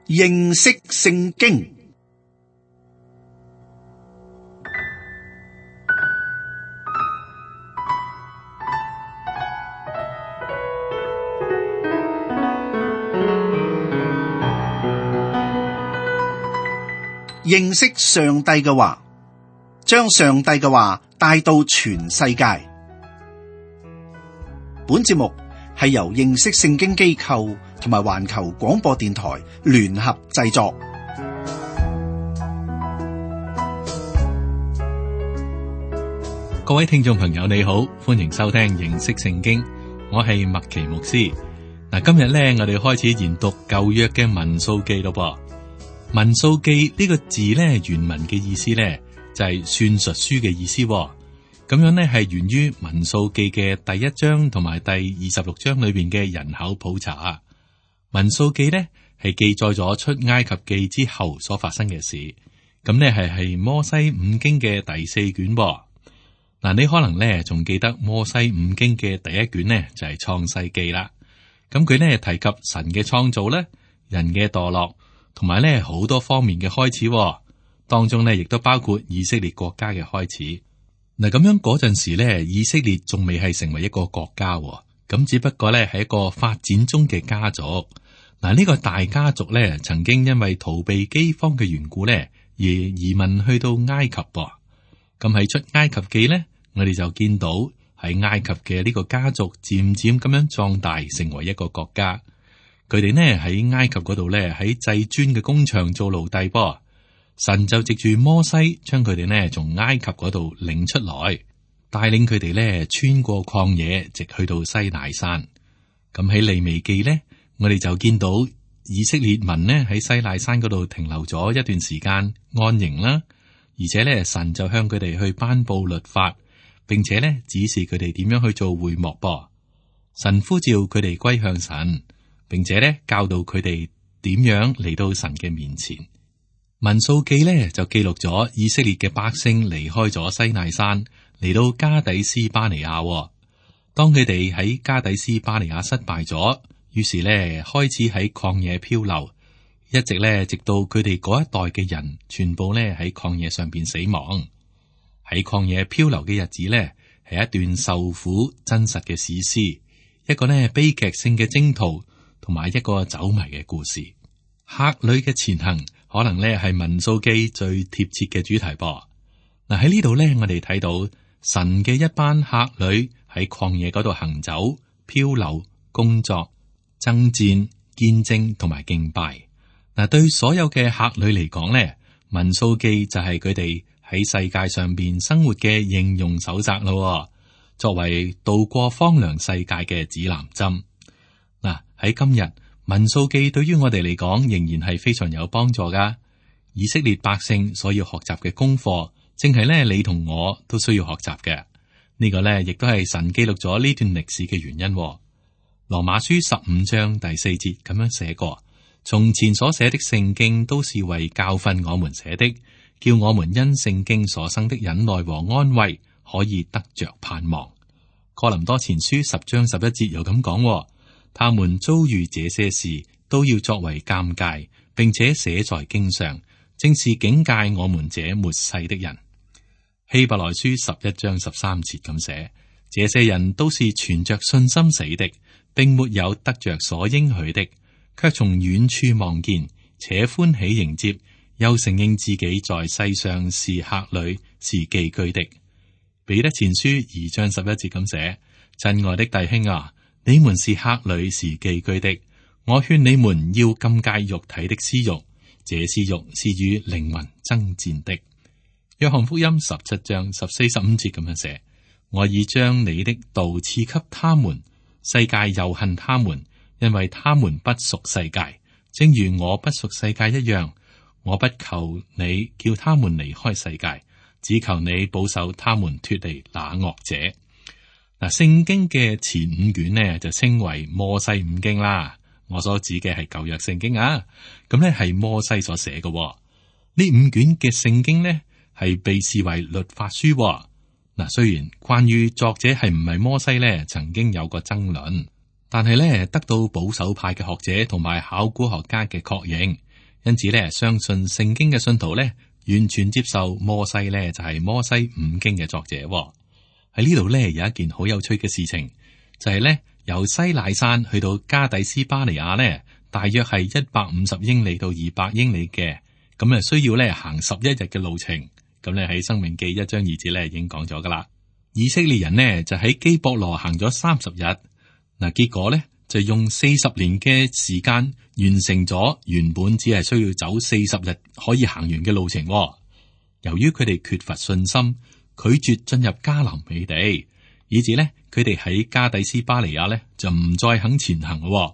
認識聖經。認識上帝嘅話，將上帝嘅話帶到全世界。本節目係由認識聖經機構同埋環球廣播電台聯合製作。各位聽眾朋友你好，歡迎收聽認識聖經，我係麥奇牧師。嗱，今日咧我哋開始研讀舊約嘅民數記咯噃。民數記呢個字咧原文嘅意思咧就係算術書嘅意思，咁樣咧係源於民數記嘅第1章同埋第26章裏邊嘅人口普查。民數記咧係記載咗出埃及記之後所發生嘅事，咁咧係摩西五經嘅第4卷。嗱，你可能咧仲記得摩西五經嘅第1卷呢就係創世記啦。咁佢咧提及神嘅創造咧，人嘅墮落。同埋咧，好多方面嘅開始，當中咧亦都包括以色列國家嘅開始。嗱，咁樣嗰陣時咧，以色列仲未係成為一個國家，咁只不過咧係一個發展中嘅家族。嗱，呢個大家族咧，曾經因為逃避饑荒嘅緣故咧，而移民去到埃及。咁喺出埃及記咧，我哋就見到喺埃及嘅呢個家族漸漸咁樣壯大，成為一個國家。佢哋呢喺埃及嗰度呢，喺製磚嘅工場做奴隸噃。神就藉住摩西將佢哋呢從埃及嗰度領出來，帶領佢哋呢穿過曠野，直去到西奈山。咁喺利未記呢，我哋就見到以色列民呢喺西奈山嗰度停留咗一段時間安營啦，而且呢神就向佢哋去頒布律法，並且呢指示佢哋點樣去做會幕噃。神呼召佢哋歸向神。並且咧教導佢哋點樣嚟到神嘅面前。民數記咧就記錄咗以色列嘅百姓離開咗西奈山，嚟到加底斯巴尼亞。當佢哋喺加底斯巴尼亞失敗咗，於是咧開始喺曠野漂流，一直咧直到佢哋嗰一代嘅人全部咧喺曠野上邊死亡。喺曠野漂流嘅日子咧係一段受苦真實嘅史詩，一個咧悲劇性嘅征途。同埋一個走迷嘅故事，客旅嘅前行可能咧係民數記最貼切嘅主題噃。嗱，喺呢度咧，我哋睇到神嘅一班客旅喺曠野嗰度行走、漂流、工作、爭戰、見證同埋敬拜。嗱，對所有嘅客旅嚟講咧，民數記就係佢哋喺世界上邊生活嘅應用手冊咯，作為渡過荒涼世界嘅指南針。喺今日，民數記對於我哋嚟講仍然係非常有幫助噶。以色列百姓所要學習嘅功課，正係咧你同我都需要學習嘅。呢個咧亦都係神記錄咗呢段歷史嘅原因。羅馬書15章第4節咁樣寫過：從前所寫的聖經都是為教訓我們寫的，叫我們因聖經所生的忍耐和安慰，可以得着盼望。哥林多前書10章11節又咁講。他們遭遇這些事，都要作為鑑戒，並且寫在經上，正是警戒我們這末世的人。希伯來書11章13節咁寫：這些人都是存着信心死的，並沒有得着所應許的，卻從遠處望見，且歡喜迎接，又承認自己在世上是客旅，是寄居的。彼得前書2章11節咁寫：親愛的弟兄啊，你們是客旅，是寄居的。我勸你們要禁戒肉體的私欲，這私欲是與靈魂爭戰的。約翰福音17章14、15節咁樣寫：我已將你的道賜給他們，世界又恨他們，因為他們不屬世界，正如我不屬世界一樣。我不求你叫他們離開世界，只求你保守他們脫離那惡者。嗱，聖經嘅前5卷呢就稱為摩西五經啦。我所指嘅係舊約聖經啊，咁呢係摩西所寫嘅。呢5卷嘅聖經呢係被視為律法書。嗱，雖然關於作者係唔係摩西呢，曾經有過爭論，但係呢得到保守派嘅學者同埋考古學家嘅確認，因此咧，相信聖經嘅信徒咧，完全接受摩西咧就係摩西五經嘅作者。喺呢度咧有一件好有趣嘅事情，就係咧由西乃山去到加底斯巴尼亞咧，大約係150英里到200英里嘅，咁啊需要咧行11日嘅路程。咁咧喺申命記1章2節咧已經講咗噶啦。以色列人呢就喺基博羅行咗30日，嗱結果咧就用40年嘅時間完成咗原本只係需要走40日可以行完嘅路程。由於佢哋缺乏信心，拒絕進入迦南美地，以致呢，佢哋喺加底斯巴尼亞呢就唔再肯前行咯。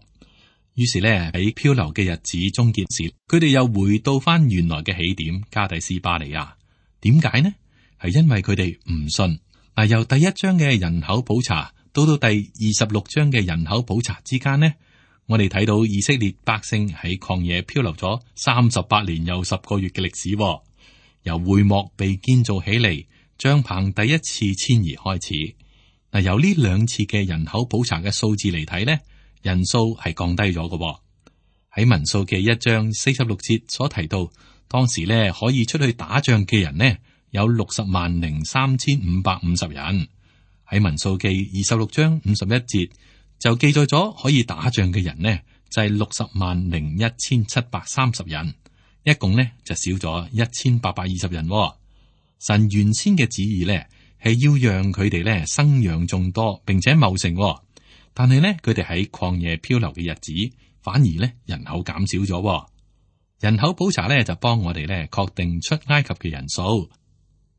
於是呢，喺漂流嘅日子終結時，佢哋又回到翻原來嘅起點加底斯巴尼亞。點解呢？係因為佢哋唔信。嗱，由第1章嘅人口普查到第26章嘅人口普查之間呢，我哋睇到以色列百姓喺曠野漂流咗38年又10個月嘅歷史。由會幕被建造起嚟，帳篷第一次遷移開始。嗱，由呢兩次嘅人口普查嘅數字嚟睇呢，人數係降低咗嘅。喺民數記1章46節所提到，當時呢可以出去打仗嘅人呢有603550人。喺民數記26章51節就記載咗可以打仗嘅人呢就係601730人。一共呢就少咗1820人。神原先嘅旨意呢係要讓佢哋呢生養眾多，並且茂盛。但係呢佢哋喺曠野漂流嘅日子，反而呢人口減少咗。人口普查呢就幫我哋呢確定出埃及嘅人數。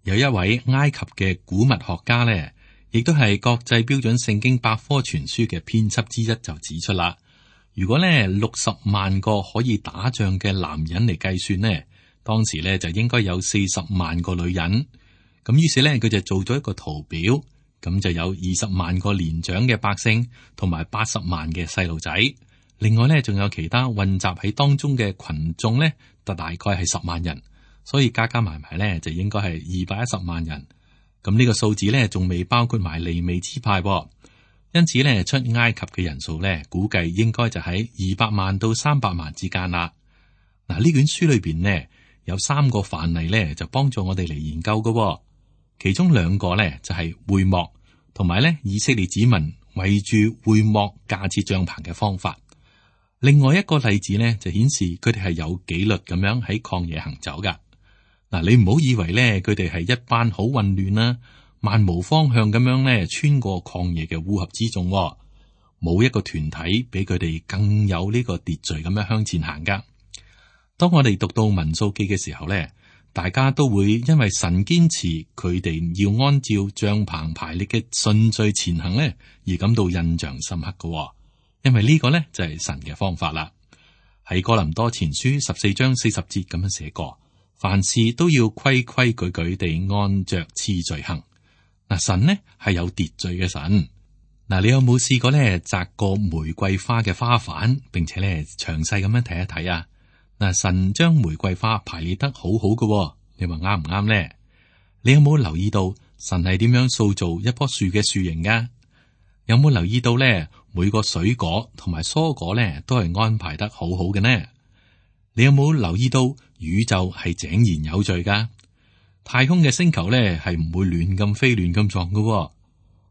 有一位埃及嘅古物學家呢，亦都係國際標準聖經百科全書嘅編輯之一，就指出啦。如果呢60萬個可以打仗嘅男人嚟計算呢，當時呢就應該有40萬個女人。咁於是呢，佢就做咗一個圖表，咁就有20萬個年長嘅百姓，同埋80萬嘅細路仔。另外呢，仲有其他混雜喺當中嘅群眾呢，就大概係10萬人。所以加加埋埋呢，就應該係210萬人。咁呢個數字呢，仲未包括埋利未支派。因此咧，出埃及嘅人數咧，估計應該就喺200萬到300萬之間啦。嗱，呢卷書裏邊呢，有3個範例咧，就幫助我哋嚟研究嘅。其中2個咧就係會幕，同埋咧以色列子民圍住會幕架設帳篷嘅方法。另外一個例子呢，就顯示佢哋係有紀律咁樣喺曠野行走噶。嗱，你唔好以為咧佢哋係一班好混亂啦，漫無方向咁樣咧，穿過曠野嘅烏合之眾，冇一個團體比佢哋更有呢個秩序咁樣向前行噶。當我哋讀到民數記嘅時候咧，大家都會因為神堅持佢哋要按照帳篷排列嘅順序前行咧，而感到印象深刻噶。因為呢個咧就係神嘅方法啦。喺哥林多前書14章40節咁樣寫過，凡事都要規規矩矩地按着次序行。神呢係有秩序嘅神。你有冇試過咧摘個玫瑰花嘅花瓣，並且咧詳細咁樣睇一睇啊？神將玫瑰花排列得好好嘅，你話啱唔啱呢？你有冇留意到神係點樣塑造一棵樹嘅樹形噶？有冇留意到咧每個水果同埋蔬果咧都係安排得好好嘅呢？你有冇留意到宇宙係井然有序噶？太空嘅星球咧係唔會亂咁飛亂咁撞嘅，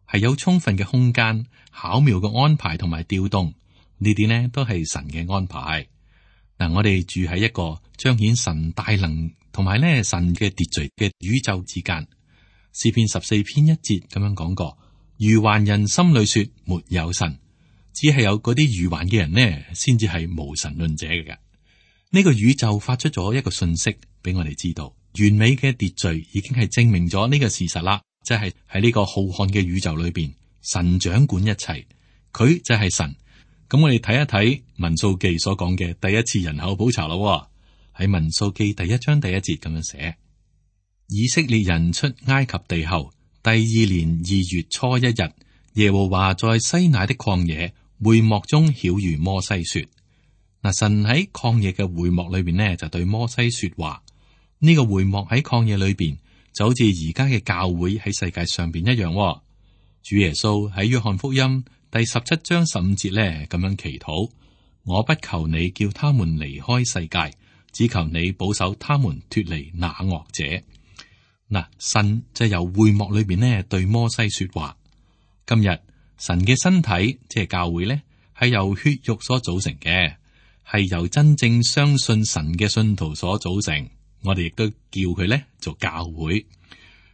係有充分嘅空間、巧妙嘅安排同埋調動，呢啲呢都係神嘅安排。我哋住喺一個彰顯神大能同埋咧神嘅秩序嘅宇宙之間。詩篇14篇1節咁樣講過：愚頑人心裏說沒有神，只係有嗰啲愚頑嘅人呢，先至係無神論者嘅。呢個宇宙發出咗一個訊息俾我哋知道。完美嘅秩序已經係證明咗呢個事實啦，即係喺呢個浩瀚嘅宇宙裏邊，神掌管一切，佢就係神。咁我哋睇一睇民數記所講嘅第一次人口普查咯。喺民數記第1章第1節咁樣寫：以色列人出埃及地後，第2年2月初1日，耶和華在西乃的曠野會幕中曉諭摩西說。神喺曠野嘅會幕裏邊呢，就對摩西說話。呢個會幕喺曠野裏邊就好似而家嘅教會喺世界上邊一樣。主耶穌喺約翰福音第17章15節呢咁樣祈禱：我不求你叫他們離開世界，只求你保守他們脫離那惡者。嗱，神就由會幕裏邊呢對摩西說話。今日神嘅身體即係教會呢，係由血肉所組成嘅，係由真正相信神嘅信徒所組成。我哋亦都叫佢呢做教會。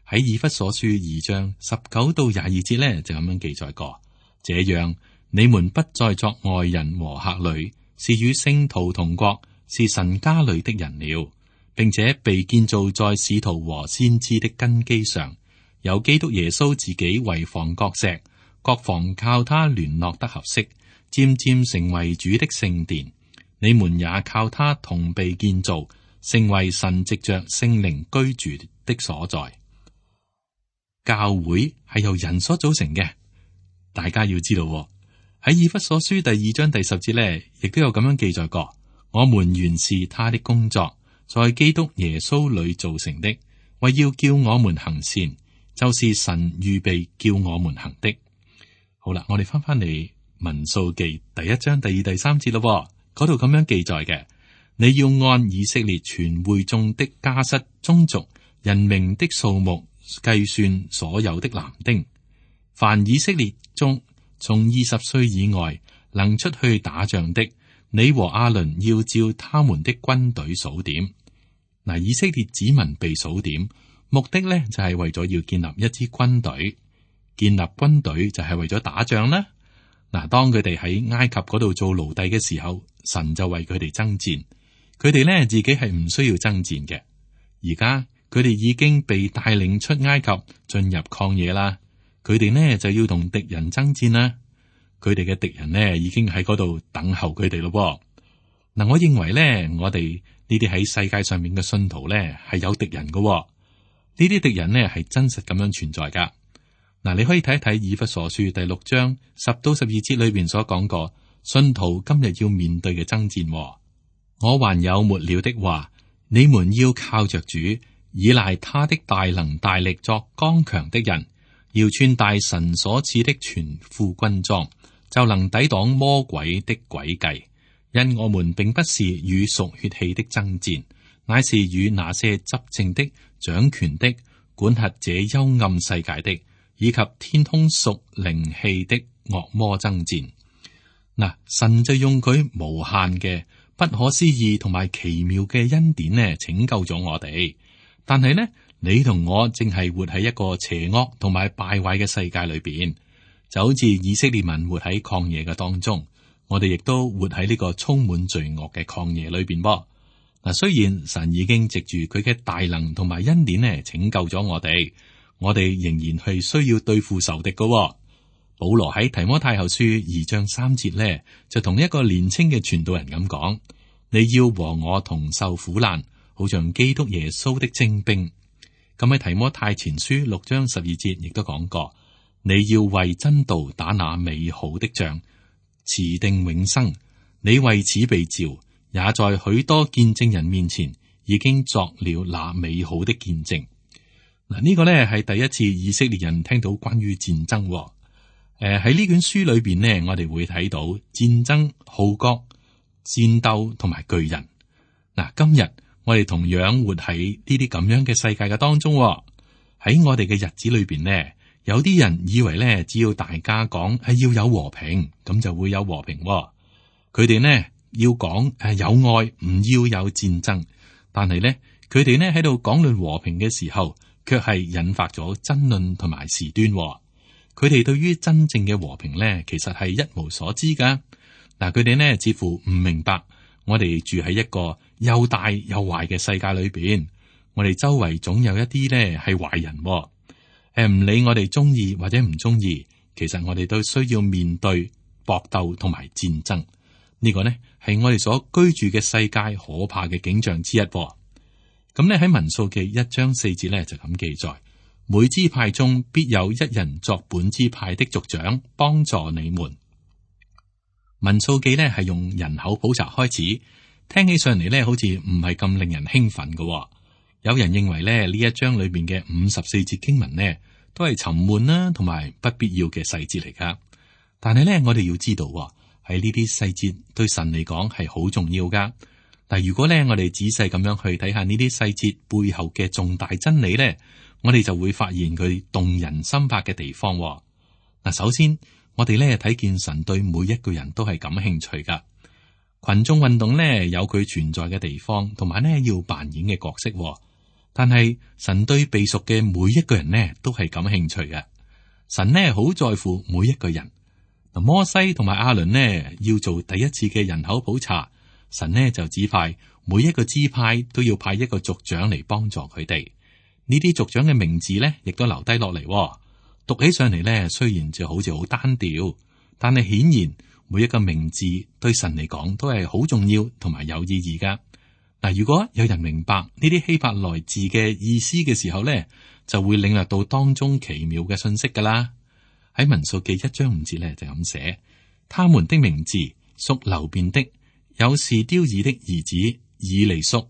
喺以弗所書2章19到22節呢，就咁樣記載過：這樣你們不再作外人和客旅，是與聖徒同國，是神家裏的人了，並且被建造在使徒和先知的根基上，有基督耶穌自己為房角石，各房靠他聯絡得合適，漸漸成為主的聖殿。你們也靠他同被建造，成為神藉着聖靈居住的所在。教會係由人所組成嘅，大家要知道喺以弗所書第2章第10節呢，亦都有咁樣記載過：我們原是他的工作，在基督耶穌裏造成的，為要叫我們行善，就是神預備叫我們行的。好啦，我哋翻嚟民數記第1章第2、第3節咯，嗰度咁樣記載嘅：你要按以色列全會眾的家室、宗族、人名的數目計算所有的男丁，凡以色列中從20歲以外能出去打仗的，你和亞倫要照他們的軍隊數點。嗱，以色列子民被數點，目的呢就係為咗要建立一支軍隊。建立軍隊就係為咗打仗啦。嗱，當佢哋喺埃及嗰度做奴隸嘅時候，神就為佢哋爭戰。佢哋呢自己係唔需要爭戰嘅。而家佢哋已經被帶領出埃及，進入曠野啦。佢哋呢就要同敵人爭戰啦。佢哋嘅敵人呢已經喺嗰度等候佢哋咯。嗱，我認為呢，我哋呢啲喺世界上面嘅信徒呢係有敵人嘅。呢啲敵人呢係真實咁樣存在噶。嗱，你可以睇一睇以弗所書第6章10到12節裏邊所講過，信徒今日要面對嘅爭戰。我還有末了的話，你們要靠着主，倚賴他的大能大力作剛強的人，要穿戴神所賜的全副軍裝，就能抵擋魔鬼的詭計。因我們並不是與屬血氣的爭戰，乃是與那些執政的、掌權的、管轄這幽暗世界的，以及天空屬靈氣的惡魔爭戰。嗱，神就用佢無限嘅、不可思議同埋奇妙嘅恩典呢，拯救咗我哋。但係呢，你同我正係活喺一個邪惡同埋敗壞嘅世界裏邊，就好似以色列民活喺曠野嘅當中，我哋亦都活喺呢個充滿罪惡嘅曠野裏邊噃。嗱，雖然神已經藉住佢嘅大能同埋恩典呢拯救咗我哋仍然係需要對付仇敵嘅。保羅喺提摩太後書2章3節呢，就同一個年輕嘅傳道人咁講：你要和我同受苦難，好像基督耶穌的精兵。咁喺提摩太前書6章12節亦都講過：你要為真道打那美好的仗，持定永生。你為此被召，也在許多見證人面前已經作了那美好的見證。嗱，呢個呢係第一次以色列人聽到關於戰爭。喺呢卷書裏邊呢，我哋會睇到戰爭、號角、戰鬥同埋巨人。嗱，今日我哋同樣活喺呢啲咁樣嘅世界嘅當中。喺我哋嘅日子裏邊呢，有啲人以為呢，只要大家講係要有和平，咁就會有和平。佢哋呢要講有愛，唔要有戰爭。但係呢，佢哋呢喺度講論和平嘅時候，卻係引發咗爭論同埋事端。佢哋對於真正嘅和平呢，其實係一無所知噶。嗱，佢哋呢似乎唔明白，我哋住喺一個又大又壞嘅世界裏邊，我哋周圍總有一啲呢係壞人。唔理我哋中意或者唔中意，其實我哋都需要面對搏鬥同埋戰爭。呢個呢係我哋所居住嘅世界可怕嘅景象之一。咁呢喺民數記1章4節呢就咁記載。每支派中必有一人作本支派的族長，幫助你們。民數記呢係用人口普查開始，聽起上嚟呢好似唔係咁令人興奮嘅。有人認為呢一章裏邊嘅54節經文呢都係沉悶啦，同埋不必要嘅細節嚟噶。但係呢，我哋要知道喺呢啲細節對神嚟講係好重要噶。但如果咧我哋仔細咁樣去睇下呢啲細節背後嘅重大真理咧，我哋就會發現佢動人心魄嘅地方。嗱，首先我哋咧睇見神對每一個人都係感興趣噶。群眾運動咧有佢存在嘅地方，同埋咧要扮演嘅角色。但係神對被贖嘅每一個人呢都係感興趣嘅。神呢好在乎每一個人。嗱，摩西同埋亞倫呢要做第一次嘅人口普查，神呢就指派每一個支派都要派一個族長嚟幫助佢哋。呢啲族長嘅名字呢亦都留低落嚟。讀起上嚟呢，雖然就好似好單調，但係顯然每一個名字對神嚟講都係好重要同埋有意義噶。嗱，如果有人明白呢啲希伯來字嘅意思嘅時候呢，就會領略到當中奇妙嘅信息噶啦。喺民數記1章5節呢，就咁寫：他們的名字屬流便的，有士丟爾的兒子以利宿。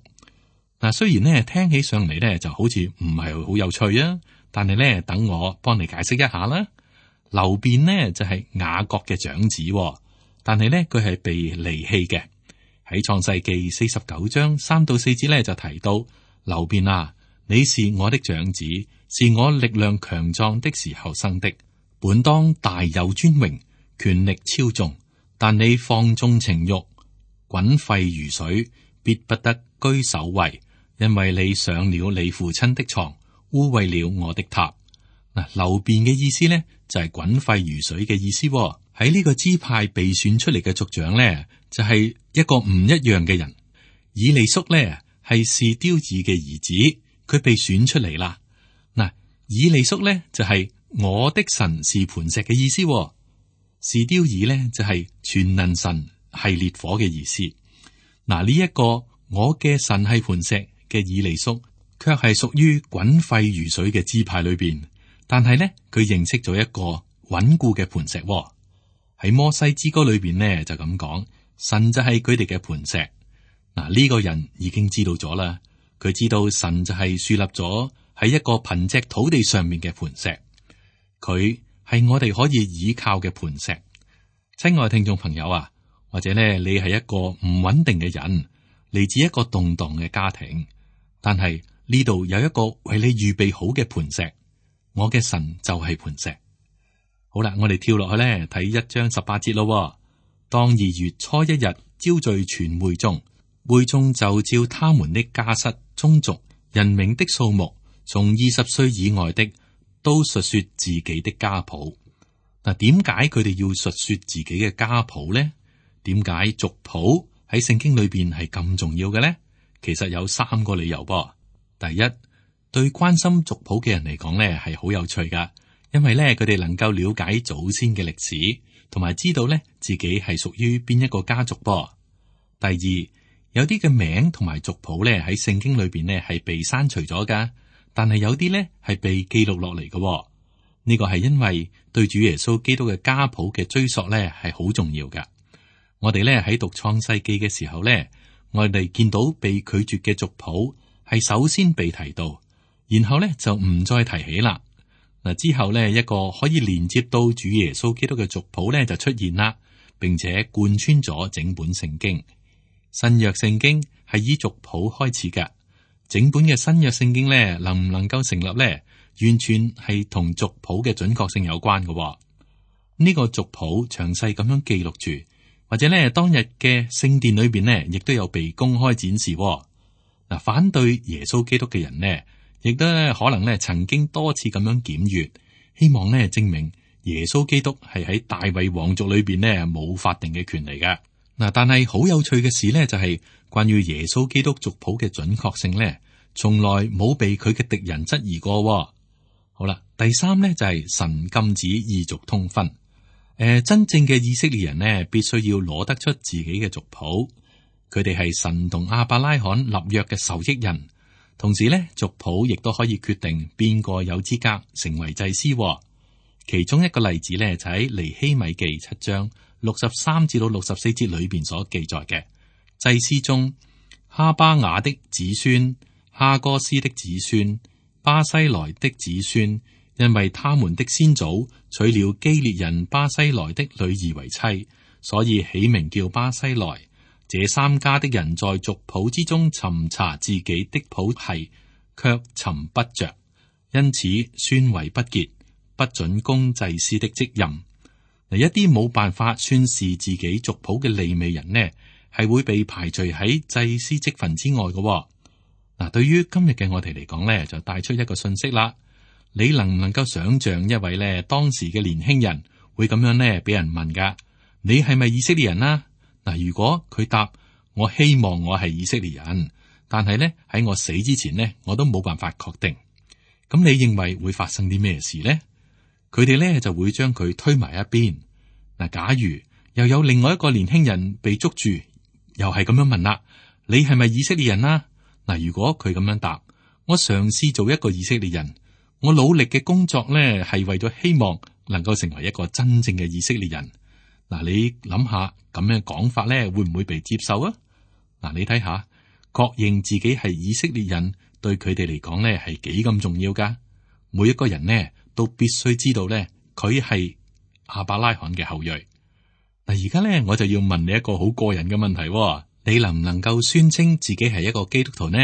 嗱，雖然呢聽起上嚟呢就好似唔係好有趣啊，但係呢等我幫你解釋一下啦。流便呢就係雅各嘅長子，但係呢佢係被離棄嘅。喺創世記49章3到4節呢就提到，流便啊，你是我的長子，是我力量強壯的時候生的，本當大有尊榮，權力超重，但你放縱情慾，滾沸如水，必不得居首位，因為你上了你父親的床，污穢了我的榻。嗱，流便嘅意思呢就係滾沸如水嘅意思。喺呢個支派被選出嚟嘅族長呢，就係一個唔一樣嘅人。以利宿呢係士丟爾嘅兒子，佢被選出嚟啦。嗱，以利宿呢就係我的神是磐石嘅意思。士丟爾呢就係全能神係烈火嘅意思。嗱，呢一個我嘅神係磐石嘅以利宿，卻係屬於滾沸如水嘅支派裏邊。但係呢，佢認識咗一個穩固嘅磐石。喺摩西之歌裏邊呢，就咁講，神就係佢哋嘅磐石。嗱，呢個人已經知道咗啦，佢知道神就係樹立咗喺一個貧瘠土地上面嘅磐石，佢係我哋可以倚靠嘅磐石。親愛聽眾朋友啊，或者呢，你係一個唔穩定嘅人，嚟自一個動盪嘅家庭，但係呢度有一個為你預備好嘅磐石，我嘅神就係磐石。好啦，我哋跳落去咧，睇1章18節咯。當2月初1日招聚全會眾，會眾就照他們的家室、宗族、人名的數目，從20歲以外的都述說自己的家譜。嗱，點解佢哋要述說自己嘅家譜呢？點解族譜喺聖經裏邊係咁重要嘅呢？其實有3個理由噃。第一，對關心族譜嘅人嚟講呢係好有趣噶。因為咧，佢哋能夠了解祖先嘅歷史，同埋知道咧自己係屬於邊一個家族噃。第二，有啲嘅名同埋族譜咧喺聖經裏邊咧係被刪除咗噶，但係有啲咧係被記錄落嚟嘅。呢個係因為對主耶穌基督嘅家譜嘅追溯咧係好重要噶。我哋咧喺讀創世記嘅時候咧，我哋見到被拒絕嘅族譜係首先被提到，然後咧就唔再提起啦。嗱，之後咧，一個可以連接到主耶穌基督嘅族譜咧就出現啦，並且貫穿咗整本聖經。新約聖經係以族譜開始嘅，整本嘅新約聖經咧能唔能夠成立咧，完全係同族譜嘅準確性有關嘅。呢個族譜詳細咁樣記錄住，或者咧當日嘅聖殿裏邊呢，亦都有被公開展示。嗱，反對耶穌基督嘅人呢，亦都可能咧曾經多次咁樣檢閱，希望咧證明耶穌基督係喺大衛王族裏邊咧冇法定嘅權利嘅。嗱，但係好有趣嘅事咧，就係關於耶穌基督族譜嘅準確性咧，從來冇被佢嘅敵人質疑過。好啦，第三咧就係神禁止異族通婚。真正嘅以色列人呢，必須要攞得出自己嘅族譜，佢哋係神同亞伯拉罕立約嘅受益人。同時咧，族譜亦都可以決定邊個有資格成為祭司。其中一個例子咧，就喺尼希米記7章63至到64節裏邊所記載嘅祭司中，哈巴雅的子孫、哈哥斯的子孫、巴西萊的子孫，因為他們的先祖娶了基列人巴西萊的女兒為妻，所以起名叫巴西萊。這三家的人在族譜之中尋查自己的譜系，卻尋不着，因此宣為不潔，不准供祭司的職任。嗱，一啲冇辦法宣示自己族譜嘅利未人呢，係會被排除喺祭司職份之外嘅。嗱，對於今日嘅我哋嚟講呢，就帶出一個信息啦。你能唔能夠想象一位呢當時嘅年輕人會咁樣呢俾人問噶？你係咪以色列人啊？嗱，如果佢答我希望我係以色列人，但係呢喺我死之前呢，我都冇辦法確定。咁你認為會發生啲咩事呢？佢哋呢就會將佢推埋一邊。嗱，假如又有另外一個年輕人被捉住，又係咁樣問啦，你係咪以色列人啊？嗱，如果佢咁樣答，我嘗試做一個以色列人，我努力嘅工作呢係為咗希望能夠成為一個真正嘅以色列人。嗱，你諗下咁樣講法呢，會唔會被接受啊？嗱，你睇下，確認自己係以色列人，對佢哋嚟講呢係幾咁重要噶。每一個人呢都必須知道呢，佢係亞伯拉罕嘅後裔。嗱，而家呢我就要問你一個好個人嘅問題喎，你能唔能夠宣稱自己係一個基督徒呢？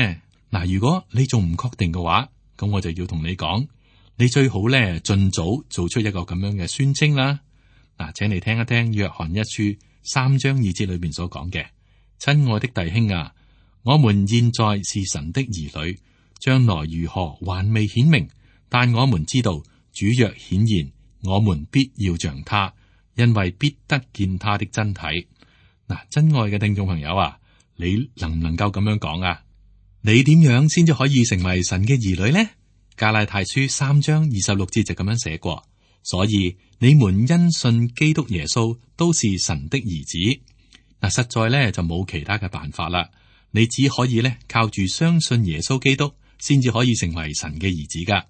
嗱，如果你仲唔確定嘅話，咁我就要同你講，你最好呢盡早做出一個咁樣嘅宣稱啦。嗱，請你聽一聽約翰一書3章2節裏邊所講嘅：親愛的弟兄啊，我們現在是神的兒女，將來如何還未顯明，但我們知道主若顯現，我們必要像他，因為必得見他的真體。嗱，真愛嘅聽眾朋友啊，你能唔能夠咁樣講啊？你點樣先至可以成為神嘅兒女呢？加拉太書3章26節就咁樣寫過。所以你們因信基督耶穌都是神的兒子。嗱，實在咧就冇其他嘅辦法啦。你只可以咧靠住相信耶穌基督，先至可以成為神嘅兒子噶。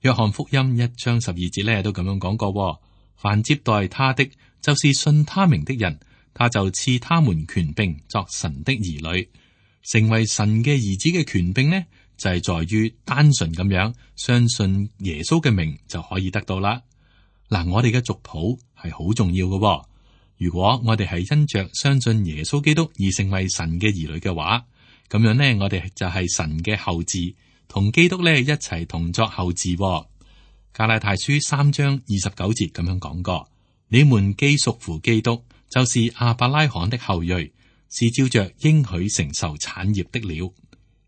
約翰福音1章12節咧都咁樣講過：凡接待他的，就是信他名的人，他就賜他們權柄作神的兒女。成為神嘅兒子嘅權柄呢，就係在於單純咁樣相信耶穌嘅名就可以得到啦。嗱，我哋嘅族譜係好重要嘅。如果我哋係因着相信耶穌基督而成為神嘅兒女嘅話，咁樣呢，我哋就係神嘅後嗣，同基督呢一齊同作後嗣。加拉太書3章29節咁樣講過：你們既屬乎基督，就是亞伯拉罕的後裔，是照着應許承受產業的了。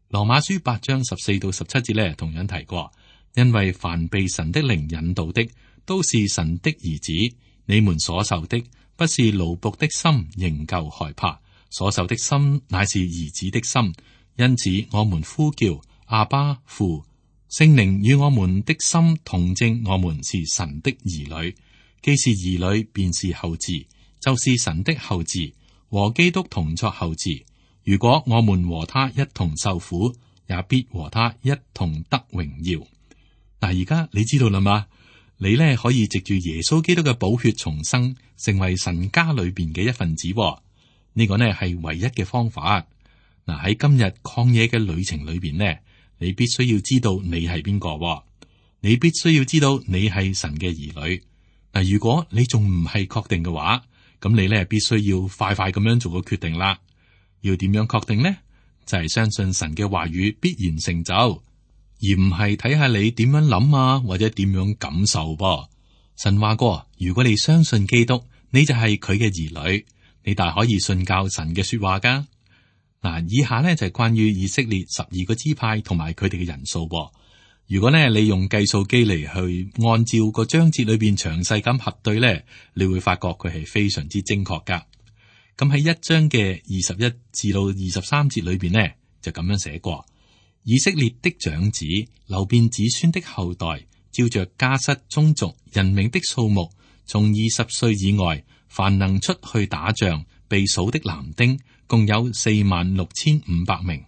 羅馬書8章14到17節呢，同樣提過：因為凡被神的靈引導的，都是神的兒子。你們所受的不是奴僕的心，仍舊害怕；所受的心乃是兒子的心。因此，我們呼叫阿爸父。聖靈與我們的心同證，我們是神的兒女。既是兒女，便是後嗣，就是神的後嗣，和基督同作後嗣。如果我們和他一同受苦，也必和他一同得榮耀。嗱，而家你知道啦嘛？你呢可以藉住耶穌基督嘅寶血重生，成為神家裏邊嘅一份子。呢個呢係唯一嘅方法。嗱，喺今日曠野嘅旅程裏邊呢，你必須要知道你係邊個，你必須要知道你係神嘅兒女。嗱，如果你仲唔係確定嘅話，咁你呢必須要快快咁樣做個決定啦。要點樣確定呢？就係相信神嘅話語必然成就。而唔係睇下你點樣諗啊，或者點樣感受噃。神話過，如果你相信基督，你就係佢嘅兒女，你大可以信教神嘅說話噶。嗱，以下呢就係關於以色列12個支派同埋佢哋嘅人數。如果呢你用計數機嚟去按照個章節裏邊詳細咁核對呢，你會發覺佢係非常之精確噶。咁喺1章嘅21至到23節裏邊呢，就咁樣寫過。以色列的長子，流便子孫的後代，照着家室宗族人名的數目，從20歲以外，凡能出去打仗被數的男丁，共有46500名。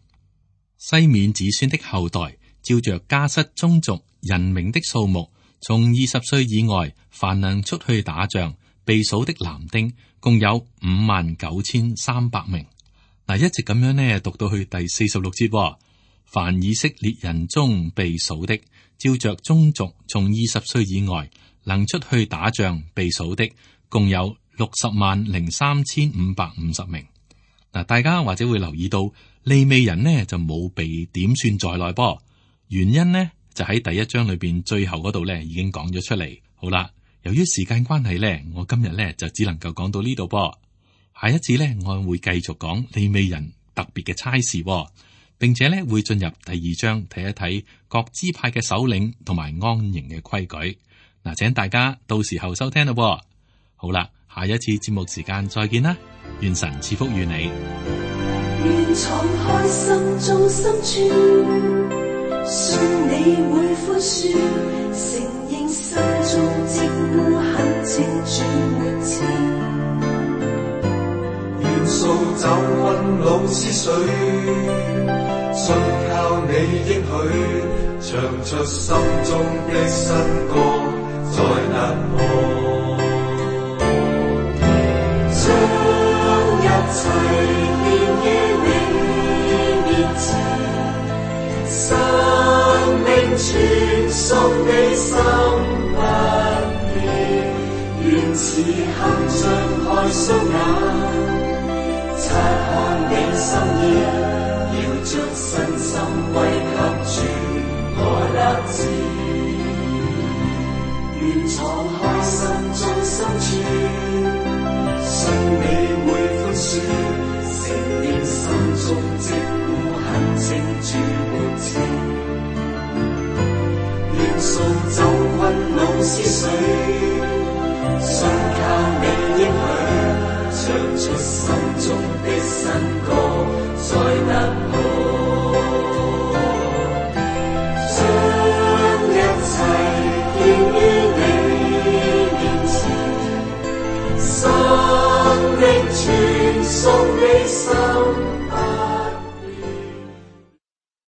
西面子孫的後代，照着家室宗族人名的數目，從20歲以外，凡能出去打仗被數的男丁，共有59300名。嗱，一直咁樣呢，讀到去第46節。凡以色列人中被數的，照着宗族從20歲以外能出去打仗被數的，共有603550名。嗱，大家或者會留意到利未人呢就冇被點算在內噃，原因呢就喺第一章裏邊最後嗰度呢已經講咗出嚟。好啦，由於時間關係呢，我今日呢就只能夠講到呢度噃。下一次呢，我會繼續講利未人特別嘅差事，並且呢會進入第二章睇一睇各支派嘅首領同埋安營嘅規矩。嗱，請大家到時候收聽咯。好啦，下一次節目時間再見啦，願神賜福與你。願敞開心中深處，信你會寬恕，承認心中積污很清主沒情。願掃走溫老思緒，信靠你應許，唱出心中的新歌，在那可將一切獻於你面前，生命傳送你心不變，願此刻張開雙眼，察看你心意，要將身心歸給主，我立志。願敞開心中深處，信你會寬恕，承認心中積污痕清主沒情。願掃走溫老思緒，信靠你應許，唱出心中的新歌，在那可將一切獻於你面前，生命傳送你心。